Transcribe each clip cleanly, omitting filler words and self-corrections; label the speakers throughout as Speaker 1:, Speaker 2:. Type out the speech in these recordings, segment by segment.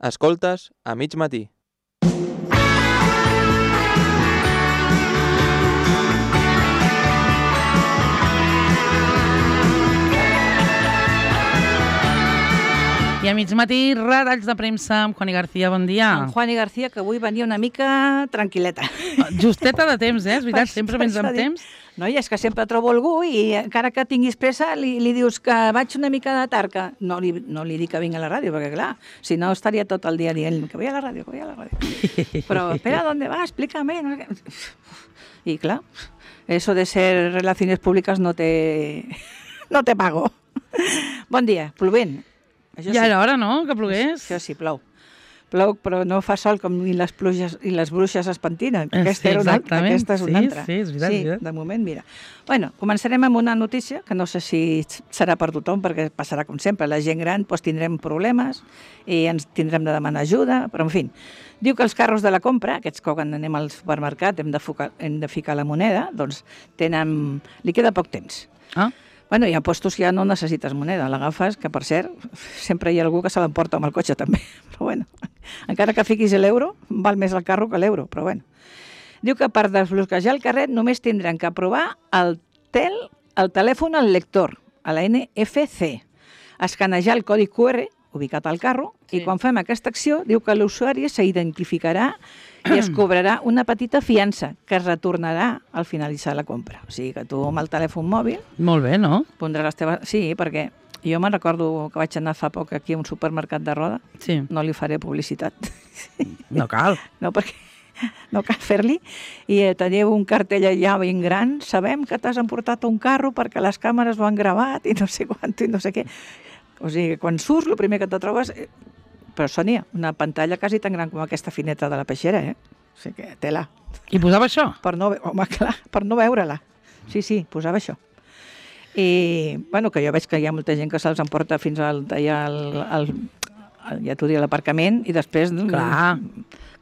Speaker 1: Escoltes a mig matí.
Speaker 2: I a mig matí, retalls de premsa amb Juani García, bon dia.
Speaker 3: En Juani García, que avui venia una mica tranquil·leta.
Speaker 2: Justeta de temps, és veritat? Sempre vens amb temps?
Speaker 3: No, i és que sempre trobo algú i encara que tinguis pressa li dius que vaig una mica de tard, que no li dic que vingui a la ràdio, perquè clar, si no estaria tot el dia dient que vull a la ràdio, que vull a la ràdio. Però, espera, ¿dónde va? Explícame. I clar, eso de ser relaciones públicas no te pago. Bon dia, plovent.
Speaker 2: Ja era hora, no?, que plogués.
Speaker 3: Això sí, plou. Plou, però no fa sol com ni les pluges i les bruixes es pentinen. Aquesta és una altra.
Speaker 2: Sí, és veritat.
Speaker 3: Sí, de moment, mira. Bueno, començarem amb una notícia que no sé si serà per tothom, perquè passarà com sempre. La gent gran tindrem problemes i ens tindrem de demanar ajuda, però en fi. Diu que els carros de la compra, aquests que quan anem al supermercat hem de ficar la moneda, doncs li queda poc temps.
Speaker 2: Ah.
Speaker 3: Bueno, hi ha postos que ja no necessites moneda, l'agafes, que per cert, sempre hi ha algú que se l'emporta amb el cotxe també, però bueno, encara que fiquis l'euro, val més el carro que l'euro, però bueno. Diu que per desbloquejar el carret només tindran que aprovar el telèfon al lector, a la NFC, escanejar el codi QR ubicat al carro, i quan fem aquesta acció, diu que l'usuari s'identificarà i es cobrarà una petita fiança que es retornarà al finalitzar la compra. O sigui que tu amb el telèfon mòbil...
Speaker 2: Molt bé, no?
Speaker 3: Pondràs les teves... Sí, perquè jo me'n recordo que vaig anar fa poc aquí a un supermercat de Roda.
Speaker 2: Sí.
Speaker 3: No li faré publicitat.
Speaker 2: No cal.
Speaker 3: No, perquè no cal fer-li. I teniu un cartell allà ben gran. Sabem que t'has emportat un carro perquè les càmeres ho han gravat i no sé quant i no sé què. O sigui, quan surts, el primer que te trobes... Però, Sònia, una pantalla quasi tan gran com aquesta fineta de la peixera, eh? O sigui que tela.
Speaker 2: I posava això?
Speaker 3: Home, clar, per no veure-la. Sí, posava això. I, bueno, que jo veig que hi ha molta gent que se'ls emporta fins ja t'ho dic, l'aparcament, i després,
Speaker 2: clar,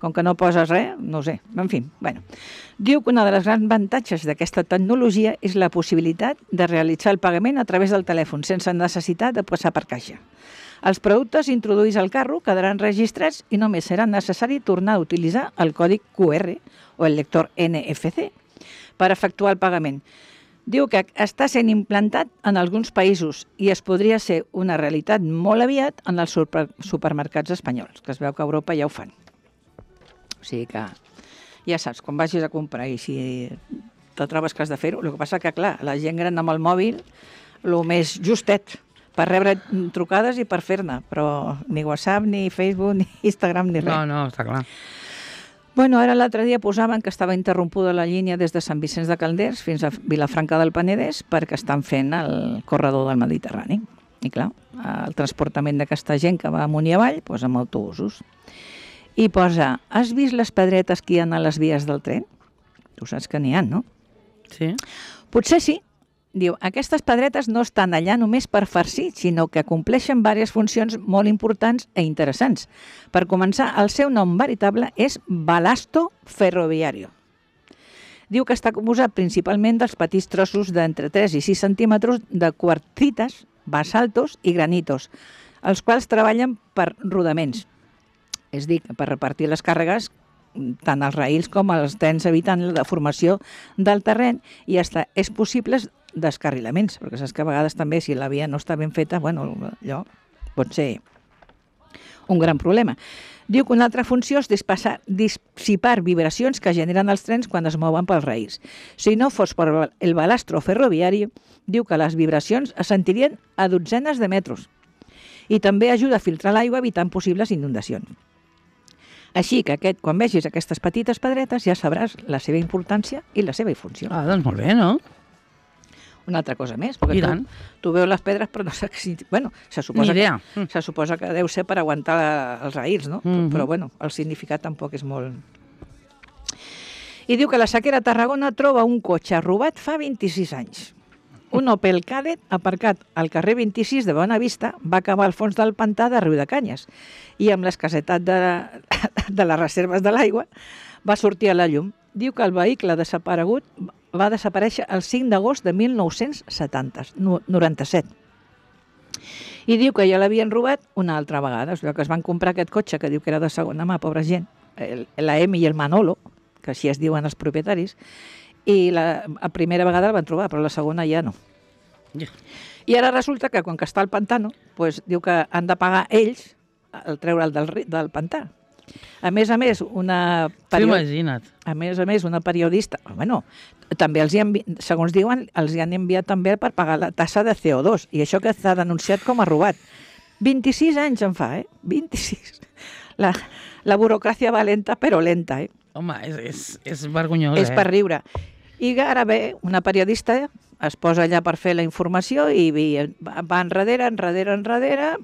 Speaker 3: com que no poses res, no ho sé. En fi, bueno. Diu que una de les grans avantatges d'aquesta tecnologia és la possibilitat de realitzar el pagament a través del telèfon, sense necessitat de passar per caixa. Els productes introduïts al carro quedaran registrats i només serà necessari tornar a utilitzar el codi QR o el lector NFC per efectuar el pagament. Diu que està sent implantat en alguns països i es podria ser una realitat molt aviat en els supermercats espanyols, que es veu que a Europa ja ho fan. O sigui que ja saps, quan vagis a comprar i si te trobes que has de fer-ho, el que passa que, clar, la gent gran amb el mòbil, el més justet, per rebre trucades i per fer-ne, però ni WhatsApp, ni Facebook, ni Instagram, ni res.
Speaker 2: No, està clar.
Speaker 3: Bueno, ara l'altre dia posaven que estava interrompuda la línia des de Sant Vicenç de Calders fins a Vilafranca del Penedès perquè estan fent el corredor del Mediterrani. I clar, el transportament d'aquesta gent que va amunt i avall, doncs amb autobusos. I posa, has vist les pedretes que hi ha a les vies del tren? Tu saps que n'hi ha, no?
Speaker 2: Sí.
Speaker 3: Potser sí. Diu, aquestes pedretes no estan allà només per farcir, sinó que compleixen diverses funcions molt importants i interessants. Per començar, el seu nom veritable és balasto ferroviario. Diu que està composat principalment dels petits trossos d'entre 3 i 6 centímetres de quartzites, basaltos i granitos, els quals treballen per rodaments. És a dir, per repartir les càrregues tant als raïls com als trens, evitant la deformació del terreny, i és possible descarrilaments, perquè saps que a vegades també si la via no està ben feta, bueno, allò pot ser un gran problema. Diu que una altra funció és dissipar vibracions que generen els trens quan es mouen pels raïls. Si no fos per el balastro ferroviari, diu que les vibracions es sentirien a dotzenes de metres i també ajuda a filtrar l'aigua evitant possibles inundacions. Així que quan vegis aquestes petites pedretes ja sabràs la seva importància i la seva funció.
Speaker 2: Ah, doncs molt bé, no?
Speaker 3: Una altra cosa més, perquè tu veus les pedres però no saps si... Bueno, se suposa que deu ser per aguantar els raïls, no? Però bueno, el significat tampoc és molt... I diu que la Sequera Tarragona troba un cotxe robat fa 26 anys. Un Opel Kadett aparcat al carrer 26 de Bonavista va acabar al fons del pantà de Riudecanyes i amb l'escassetat de les reserves de l'aigua va sortir a la llum. Diu que el vehicle desaparegut va desaparèixer el 5 d'agost de 1997. I diu que ja l'havien robat una altra vegada. O sigui, que es van comprar aquest cotxe, que diu que era de segona mà, pobra gent, la Emi i el Manolo, que així es diuen els propietaris, i la primera vegada el van trobar, però la segona ja no.
Speaker 2: Ja.
Speaker 3: I ara resulta que quan que està al pantano, pues, diu que han de pagar ells el treure'l del pantà. A més, una
Speaker 2: Imagina't.
Speaker 3: una periodista, bueno, també segons diuen, els hi han enviat també per pagar la tassa de CO2, i això que s'ha denunciat com a robat. 26 anys en fa, 26. La burocràcia va lenta, però lenta,
Speaker 2: Home, és vergonyós,
Speaker 3: És per riure. I ara ve una periodista, es posa allà per fer la informació i va enrere,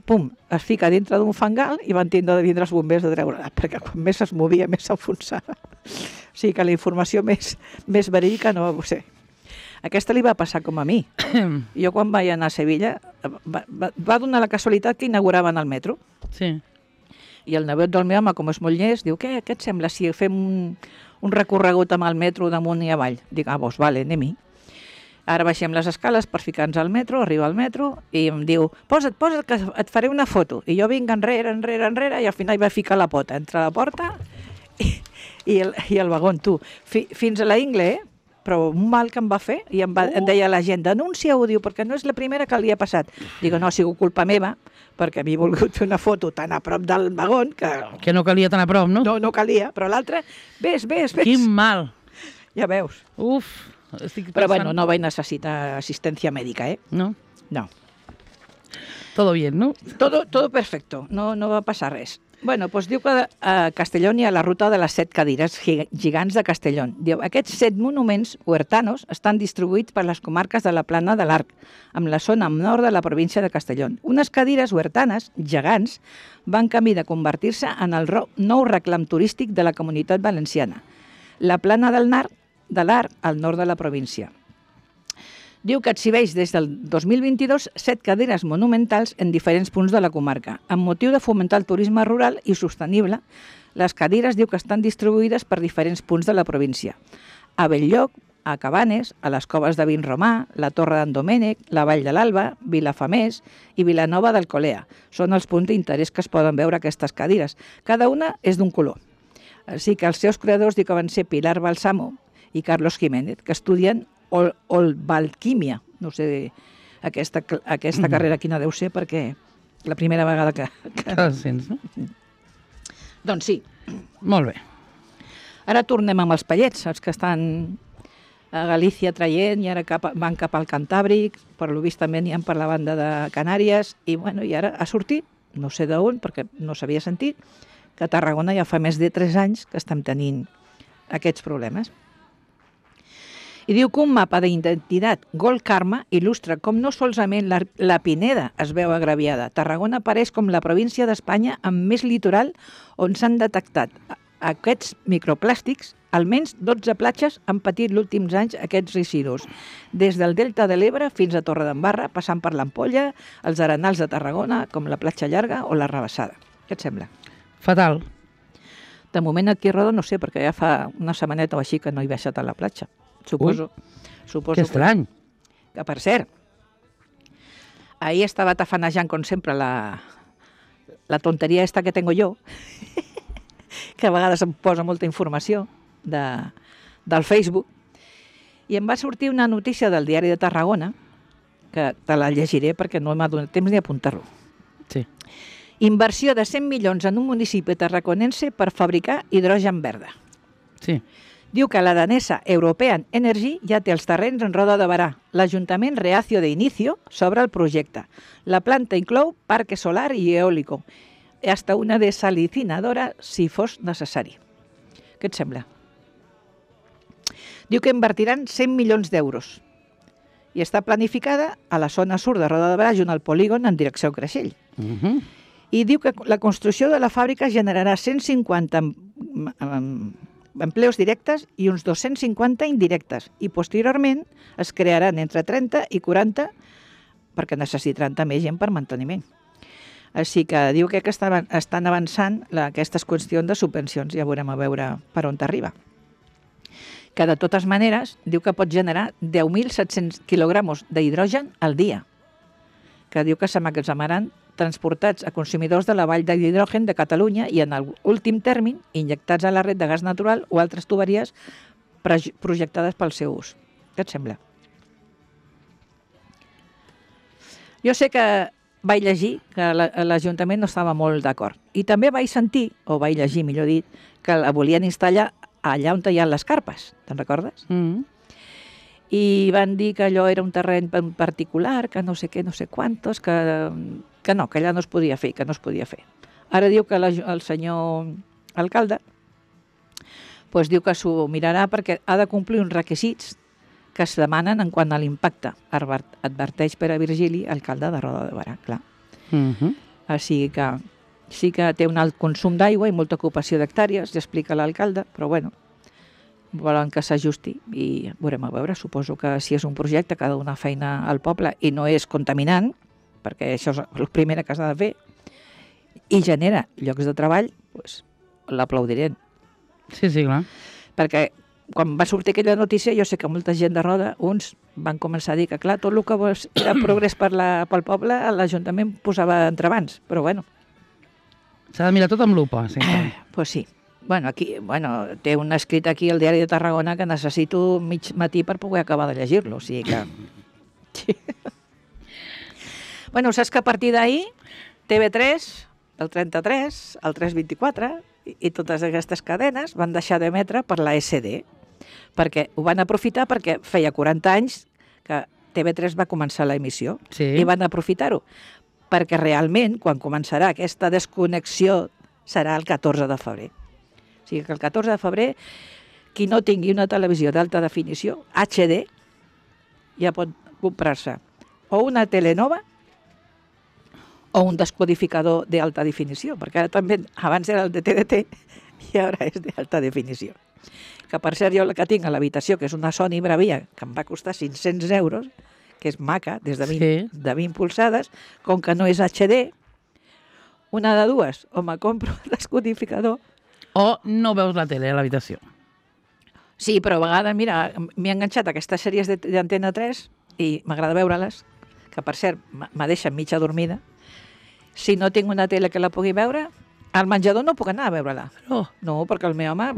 Speaker 3: pum, es fica dintre d'un fangal i van tindre de vindre els bombers de treure-la, perquè quan més es movia, més s'enfonsava. O sigui que la informació més verídica no va ser. Aquesta li va passar com a mi. Jo quan vaig anar a Sevilla va donar la casualitat que inauguraven el metro.
Speaker 2: Sí.
Speaker 3: I el nebot del meu home, com és molt llest, diu, què et sembla si fem un recorregut amb el metro damunt i avall? Dic, doncs vale, anem-hi. Ara baixem les escales per ficar-nos al metro, arriba al metro, i em diu, posa't, que et faré una foto. I jo vinc enrere, i al final va ficar la pota entre la porta i el vagó, tu. Fins a la Ingle, però un mal que em va fer, i em deia la gent, denuncia-ho, diu, perquè no és la primera que li ha passat. Digo, no, ha sigut culpa meva, perquè m'he volgut fer una foto tan a prop del vagó
Speaker 2: que no calia tan a prop, no?
Speaker 3: No calia, però l'altre, ves.
Speaker 2: Quin mal.
Speaker 3: Ja veus.
Speaker 2: Uf, estic pensant...
Speaker 3: Però bueno, no vaig necessitar assistència mèdica,
Speaker 2: No?
Speaker 3: No.
Speaker 2: Todo bien, no?
Speaker 3: Todo perfecto, no va passar res. Bueno, doncs diu que a Castelló hi ha la ruta de les 7 cadires gegants de Castelló. Diu, aquests 7 monuments huertanos estan distribuïts per les comarques de la Plana de l'Arc, amb la zona nord de la província de Castelló. Unes cadires huertanes, gegants, van camí de convertir-se en el nou reclam turístic de la Comunitat Valenciana. La Plana de l'Arc, al nord de la província. Diu que exhibeix des del 2022 7 cadires monumentals en diferents punts de la comarca. Amb motiu de fomentar el turisme rural i sostenible, les cadires diu que estan distribuïdes per diferents punts de la província. A Belllloc, a Cabanes, a les Coves de Vinromà, la Torre d'en Domènec, la Vall de l'Alba, Vilafamés i Vilanova d'Alcolea. Són els punts d'interès que es poden veure aquestes cadires. Cada una és d'un color. Així que els seus creadors diu que van ser Pilar Balsamo i Carlos Jiménez, que estudien Olvalquímia. No sé aquesta carrera quina deu ser, perquè la primera vegada que...
Speaker 2: Que sents, no?
Speaker 3: Doncs sí.
Speaker 2: Molt bé.
Speaker 3: Ara tornem amb els pallets, els que estan a Galícia traient i ara van cap al Cantàbric, per lo vist també n'hi ha per la banda de Canàries, i ara ha sortit, no sé d'on, perquè no s'havia sentit, que a Tarragona ja fa més de 3 anys que estem tenint aquests problemes. I diu que un mapa d'identitat Gold Karma il·lustra com no solament la Pineda es veu agraviada. Tarragona apareix com la província d'Espanya amb més litoral on s'han detectat aquests microplàstics. Almenys 12 platges han patit els últims anys aquests residus, des del Delta de l'Ebre fins a Torredembarra, passant per l'Ampolla, els arenals de Tarragona, com la Platja Llarga o la Rabassada. Què et sembla?
Speaker 2: Fatal.
Speaker 3: De moment aquí a Roda no sé, perquè ja fa una setmaneta o així que no he baixat a la platja. Suposo.
Speaker 2: Que estrany.
Speaker 3: Que, per cert, ahir estava tafanejant, com sempre, la tonteria esta que tengo yo, que a vegades em posa molta informació del Facebook, i em va sortir una notícia del Diari de Tarragona, que te la llegiré perquè no m'ha donat temps ni apuntar-lo.
Speaker 2: Sí.
Speaker 3: Inversió de 100 milions en un municipi tarraconense per fabricar hidrogen verda.
Speaker 2: Sí.
Speaker 3: Diu que la danesa European Energy ja té els terrenys en Roda de Barà. L'Ajuntament reacio de inicio sobre el projecte. La planta inclou parque solar i eòlico, hasta una desalicinadora si fos necessari. Què et sembla? Diu que invertiran 100 milions d'euros i està planificada a la zona sud de Roda de Barà, junt al polígon en direcció a Creixell. I diu que la construcció de la fàbrica generarà 150 empleos directes i uns 250 indirectes, i posteriorment es crearan entre 30 i 40 perquè necessitaran també gent per manteniment. Així que diu que estan avançant aquestes qüestions de subvencions, ja veurem a veure per on t'arriba. Que de totes maneres diu que pot generar 10.700 quilogramos d'hidrogen al dia, que diu que s'emmagatzemaran transportats a consumidors de la vall de l'hidrogen de Catalunya i, en l'últim terme, injectats a la red de gas natural o altres tuberies projectades pel seu ús. Què et sembla? Jo sé que vaig llegir que l'Ajuntament no estava molt d'acord. I també vaig sentir, o vaig llegir, millor dit, que la volien instal·lar allà on hi ha les carpes. Te'n recordes? I van dir que allò era un terreny particular, que no sé què, no sé quantos, que no, que allà no es podia fer, que no es podia fer. Ara diu que el senyor alcalde doncs diu que s'ho mirarà perquè ha de complir uns requisits que es demanen en quant a l'impacte, adverteix Pere Virgili, alcalde de Roda de Berà, clar. Així que sí que té un alt consum d'aigua i molta ocupació d'hectàrees, ja explica l'alcalde, però bueno, volen que s'ajusti i veurem a veure. Suposo que si és un projecte que ha de donar feina al poble i no és contaminant, perquè això és el primer que s'ha de fer, i genera llocs de treball, doncs l'aplaudirem.
Speaker 2: Sí, clar.
Speaker 3: Perquè quan va sortir aquella notícia, jo sé que molta gent de Roda, uns van començar a dir que, clar, tot el que era progrés pel poble, l'Ajuntament posava entrebancs, però bueno.
Speaker 2: S'ha de mirar tot amb lupa, sí.
Speaker 3: Pues sí. Bueno, aquí, té un escrit aquí al Diari de Tarragona que necessito mig matí per poder acabar de llegir-lo, o sigui que... Sí. Bueno, saps que a partir d'ahir, TV3, el 33, el 324 i totes aquestes cadenes van deixar d'emetre per la SD, perquè ho van aprofitar perquè feia 40 anys que TV3 va començar l'emissió i van aprofitar-ho, perquè realment, quan començarà aquesta desconnexió, serà el 14 de febrer. O sigui que el 14 de febrer, qui no tingui una televisió d'alta definició, HD, ja pot comprar-se o una tele nova o un descodificador d'alta definició, perquè ara també, abans era el de TDT i ara és d'alta definició. Que per cert, jo la que tinc a l'habitació, que és una Sony Bravia, que em va costar 500 euros, que és maca, des de 20 polzades, com que no és HD, una de dues, o me compro el descodificador,
Speaker 2: o no veus la tele a l'habitació.
Speaker 3: Sí, però a vegades, mira, m'he enganxat a aquestes sèries d'Antena 3 i m'agrada veure-les, que per cert, me deixen mitja dormida. Si no tinc una tele que la pugui veure, al menjador no puc anar a veure-la. No, perquè el meu home...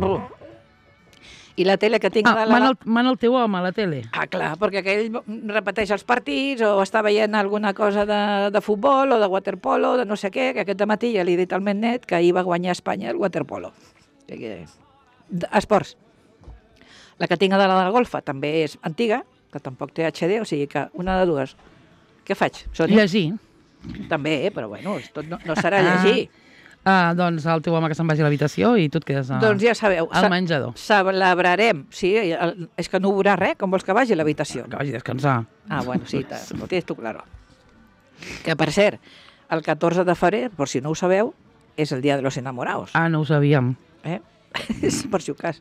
Speaker 3: I la tele que tinc...
Speaker 2: Mana el teu home a la tele?
Speaker 3: Clar, perquè aquell repeteix els partits o està veient alguna cosa de futbol o de waterpolo, de no sé què, que aquest matí ja li he dit al meu net que ahir va guanyar Espanya el waterpolo. Esports. La que tinc de la golfa també és antiga, que tampoc té HD, o sigui que una de dues. Què faig, Sònia?
Speaker 2: Llegir.
Speaker 3: També, però bueno, tot no serà llegir.
Speaker 2: Doncs el teu home que se'n vagi a l'habitació i tu et quedes
Speaker 3: doncs ja sabeu,
Speaker 2: al menjador.
Speaker 3: Celebrarem, sí, és que no veurà res, com vols que vagi a l'habitació?
Speaker 2: Que vagi a descansar.
Speaker 3: Bueno, sí, ho tens tu claro. Que per cert, el 14 de febrer, per si no ho sabeu, és el dia de los enamorados.
Speaker 2: No ho sabíem.
Speaker 3: Per si ho cas.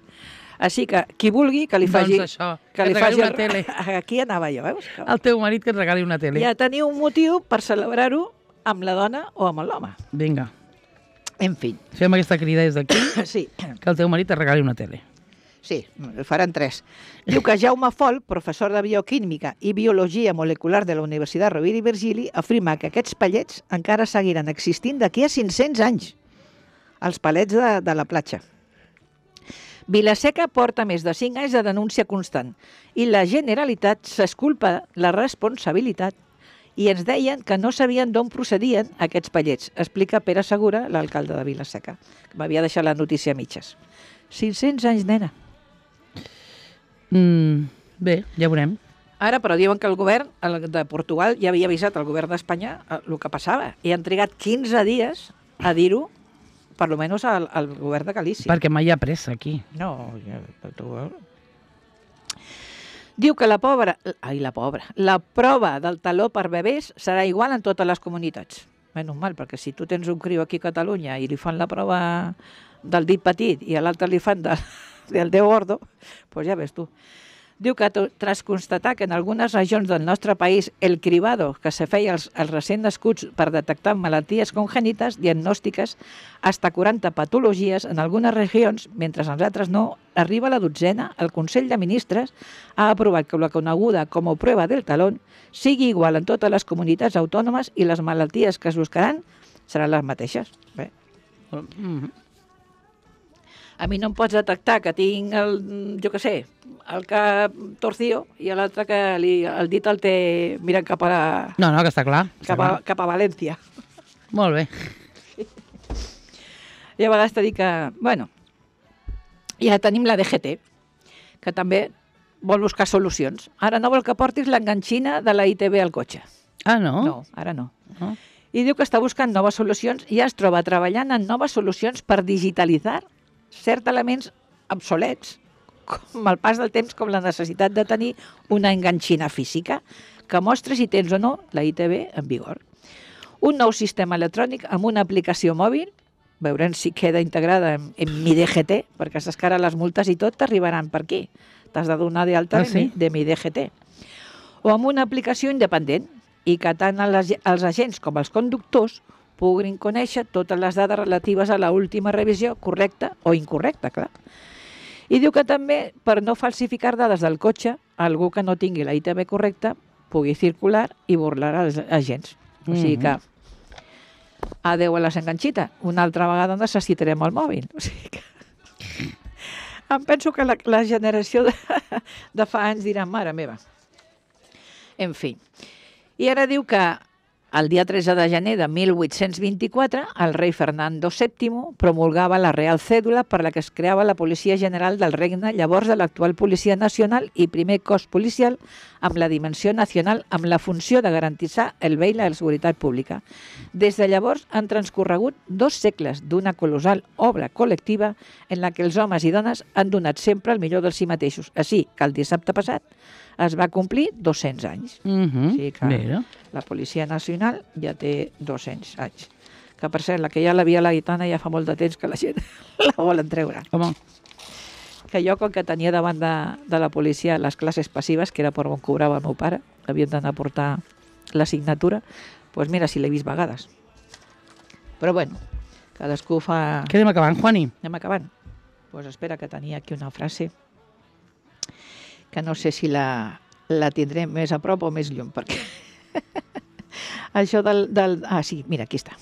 Speaker 3: Així que qui vulgui que li faci...
Speaker 2: Doncs això, que et regali una tele.
Speaker 3: Aquí anava jo, veus?
Speaker 2: El teu marit que et regali una tele.
Speaker 3: Ja teniu un motiu per celebrar-ho amb la dona o amb l'home.
Speaker 2: Vinga.
Speaker 3: En fi.
Speaker 2: Fem aquesta crida des d'aquí,
Speaker 3: sí.
Speaker 2: Que el teu marit et regali una tele.
Speaker 3: Sí, faran 3. Diu que Jaume Fol, professor de bioquímica i biologia molecular de la Universitat Rovira i Virgili, afirma que aquests pallets encara seguiran existint d'aquí a 500 anys. Els pallets de la platja. Vilaseca porta més de 5 anys de denúncia constant i la Generalitat s'esculpa la responsabilitat i ens deien que no sabien d'on procedien aquests pallets, explica Pere Segura, l'alcalde de Vilaseca, que m'havia deixat la notícia a mitges. 500 anys, nena.
Speaker 2: Bé, ja veurem.
Speaker 3: Ara, però diuen que el govern de Portugal ja havia avisat al govern d'Espanya el que passava i han trigat 15 dies a dir-ho, per lo menos al govern de Galícia.
Speaker 2: Perquè mai hi ha pressa aquí.
Speaker 3: No, diu que la prova del taló per bebès serà igual en totes les comunitats. Menys mal, perquè si tu tens un criu aquí a Catalunya i li fan la prova del dit petit i a l'altre li fan del Déu gordo, doncs ja ves tu. Diu que tras constatar que en algunes regions del nostre país el cribado que se feia als recent nascuts per detectar malalties congènites diagnòstiques hasta 40 patologies en algunes regions, mentre en altres no, arriba a la dotzena, el Consell de Ministres ha aprovat que la coneguda com a prova del talón sigui igual en totes les comunitats autònomes i les malalties que es buscaran seran les mateixes. Bé. A mi no em pots detectar que tinc jo què sé, el cap torcido i l'altre que el dit el té mirant cap a...
Speaker 2: No, que està clar.
Speaker 3: Cap a València.
Speaker 2: Molt bé.
Speaker 3: I a vegades t'he dit que, bueno, ja tenim la DGT, que també vol buscar solucions. Ara no vol que portis l'enganxina de la ITV al cotxe.
Speaker 2: Ah, no?
Speaker 3: No, ara no. I diu que està buscant noves solucions i ja es troba treballant en noves solucions per digitalitzar certs elements obsolets, com el pas del temps, com la necessitat de tenir una enganxina física que mostra si tens o no la ITV en vigor. Un nou sistema electrònic amb una aplicació mòbil, veurem si queda integrada en Mi DGT, perquè saps que ara les multes i tot t'arribaran per aquí. T'has de donar d'alta de Mi DGT. O amb una aplicació independent, i que tant els agents com els conductors puguin conèixer totes les dades relatives a l'última revisió correcta o incorrecta, clar. I diu que també, per no falsificar dades del cotxe, algú que no tingui la ITV correcta pugui circular i burlar els agents. O sigui que, adeu a les enganxites, una altra vegada necessitarem el mòbil. O sigui que... Em penso que la generació de fa anys dirà, mare meva. En fi. I ara diu que el dia 13 de gener de 1824, el rei Fernando VII promulgava la Real Cèdula per la que es creava la Policia General del Regne, llavors de l'actual Policia Nacional i primer cos policial amb la dimensió nacional amb la funció de garantir el bé i la seguretat pública. Des de llavors han transcorregut 2 segles d'una colossal obra col·lectiva en la que els homes i dones han donat sempre el millor de si mateixos. Així que el dissabte passat es va complir 200 anys. O sigui que la Policia Nacional ja té 200 anys. Que, per cert, la que ja l'havia la gitana ja fa molt de temps que la gent la volen treure.
Speaker 2: Home.
Speaker 3: Que jo, com que tenia davant de la policia les classes passives, que era per on cobrava el meu pare, havien d'anar a portar l'assignatura, doncs mira, si l'he vist vegades. Però bueno, cadascú fa...
Speaker 2: Què anem acabant, Juani?
Speaker 3: Anem acabant. Doncs espera, que tenia aquí una frase que no sé si la tindré més a prop o més lluny, perquè això sí, mira, aquí está.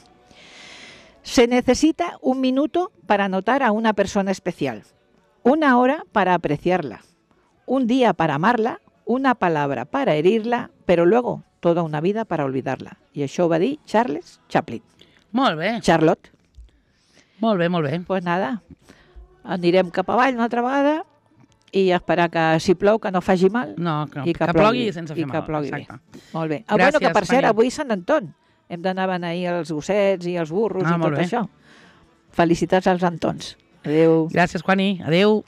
Speaker 3: Se necesita un minuto para notar a una persona especial, una hora para apreciarla, un día para amarla, una palabra para herirla, pero luego toda una vida para olvidarla. I això ho va dir Charles Chaplin.
Speaker 2: Molt bé.
Speaker 3: Charlotte.
Speaker 2: Molt bé, molt bé.
Speaker 3: Pues nada, anirem cap avall una altra vegada i esperar que si plou que no faci mal.
Speaker 2: No, que plogui sense fer mal.
Speaker 3: I que plogui bé. Molt bé.
Speaker 2: Gràcies,
Speaker 3: bueno, que per cert,
Speaker 2: Fanny.
Speaker 3: avui Sant Anton. Hem d'anar a beneir els gossets i els burros i tot
Speaker 2: molt bé.
Speaker 3: això. Felicitats als Antons. Adéu.
Speaker 2: Gràcies, Juani. Adéu.